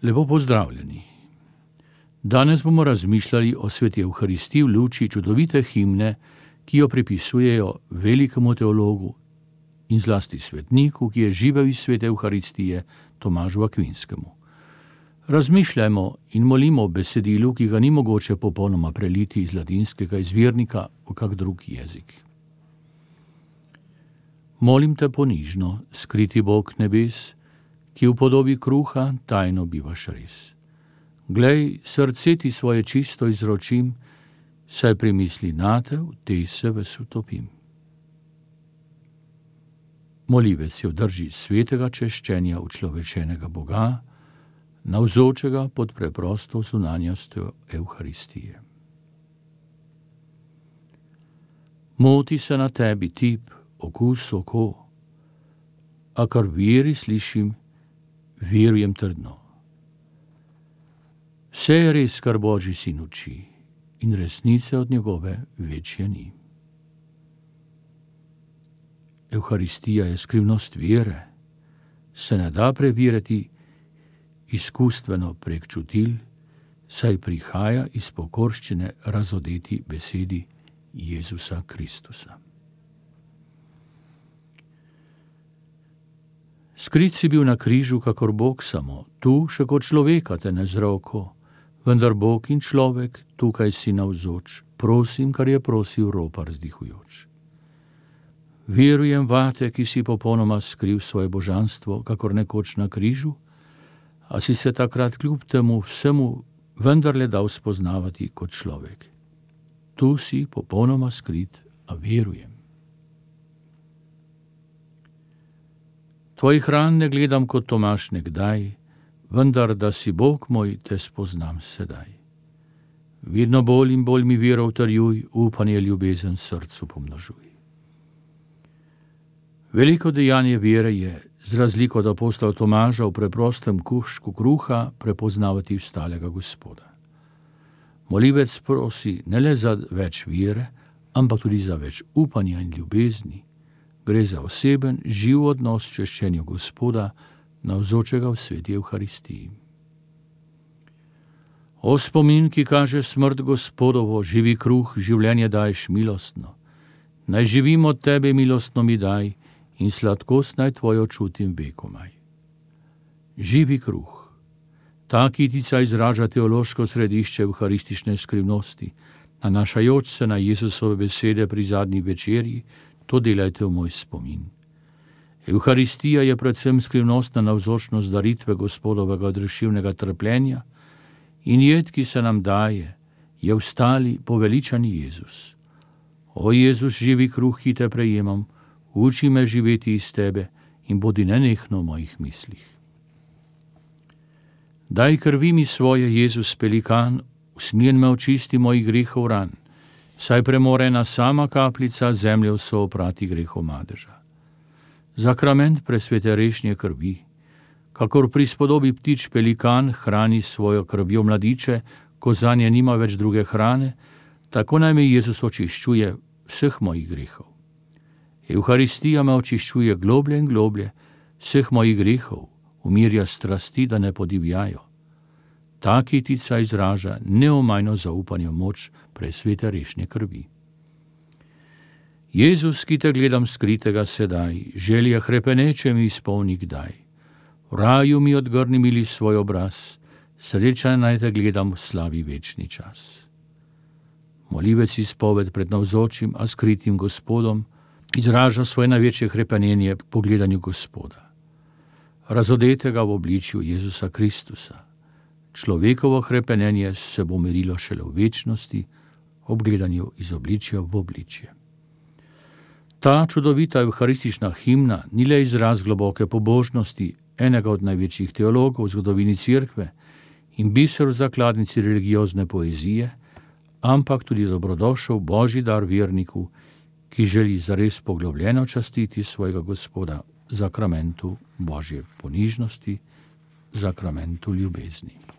Lepo pozdravljeni. Danes bomo razmišljali o sveti Evharistiji v luči čudovite himne, ki jo pripisujejo velikemu teologu in zlasti svetniku, ki je živel iz svete Evharistije, Tomažu Akvinskemu. Razmišljajmo in molimo o besedilu, ki ga ni mogoče popolnoma preliti iz latinskega izvirnika v kak drug jezik. Molim te ponižno, skriti Bog nebes, ki v podobi kruha tajno bivaš res. Glej, srce ti svoje čisto izročim, saj pri misli nate v tej se ves utopim. Molivec je v drži svetega češčenja učlovečenega Boga, navzočega pod preprosto zunanjostjo Evharistije. Moti se na tebi tip, okus, oko, a kar veri slišim, verujem trdno. Vse je res, kar Božji sin uči, in resnice od njegove večje ni. Evharistija je skrivnost vere, se ne da preveriti izkustveno prek čutil, saj prihaja iz pokorščine razodeti besedi Jezusa Kristusa. Skrit si bil na križu, kakor Bog samo, tu še kot človeka te ne zroko, vendar Bog in človek, tukaj si navzoč, prosim, kar je prosil ropar vzdihujoč. Verujem vate, ki si popolnoma skril svoje božanstvo, kakor nekoč na križu, a si se takrat kljub temu vsemu vendarle dal spoznavati kot človek. Tu si popolnoma skrit, a verujem. Tvojih ran ne gledam kot Tomaž nekdaj, vendar, da si Bog moj, te spoznam sedaj. Vedno bolj in bolj mi vero utrjuj, upanje ljubezen srcu pomnožuj. Veliko dejanje vere je, z razliko od apostola Tomaža, v preprostem kuščku kruha prepoznavati vstalega Gospoda. Molivec prosi ne le za več vere, ampak tudi za več upanja in ljubezni. Gre za oseben, živ odnos v češčenju Gospoda, navzočega v sveti Evharistiji. O spomin, ki kaže smrt Gospodovo, živi kruh, življenje daješ milostno. Naj živim od tebe, milostno mi daj, in sladkost naj tvojo čutim vekomaj. Živi kruh. Ta kitica izraža teološko središče evharistične skrivnosti, nanašajoč se na Jezusove besede pri zadnji večerji, to delajte v moj spomin. Evharistija je predvsem skrivnostna navzočnost daritve Gospodovega odrešilnega trpljenja in jed, ki se nam daje, je vstali poveličani Jezus. O Jezus, živi kruh, ki te prejemam, uči me živeti iz tebe in bodi nenehno v mojih mislih. Daj krvi mi svoje, Jezus pelikan, usmiljen me očisti mojih grehov ran, saj premorena sama kapljica zemlje vso oprati grehov madeža. Zakrament presvete rešnje krvi, kakor pri spodobi ptič pelikan hrani svojo krvjo mladiče, ko zanje nima več druge hrane, tako naj me Jezus očiščuje vseh mojih grehov. Evharistija me očiščuje globlje in globlje vseh mojih grehov, umirja strasti, da ne podivjajo. Ta kitica izraža neomajno zaupanje v moč presvete rešnje krvi. Jezus, ki te gledam skritega sedaj, želja hrepeneče mi izpolni kdaj. V raju mi odgrni mili svoj obraz, sreča naj te gledam v slavi večni čas. Molivec izpoved pred navzočim, a skritim Gospodom, izraža svoje največje hrepenenje po gledanju Gospoda. Razodetega v obličju Jezusa Kristusa. Človekovo hrepenenje se bo merilo šele v večnosti, ob gledanju iz obličja v obličje. Ta čudovita evharistična himna ni le izraz globoke pobožnosti enega od največjih teologov v zgodovini Cerkve in biser v zakladnici religiozne poezije, ampak tudi dobrodošel Božji dar verniku, ki želi zares poglobljeno častiti svojega Gospoda v zakramentu Božje ponižnosti, zakramentu ljubezni.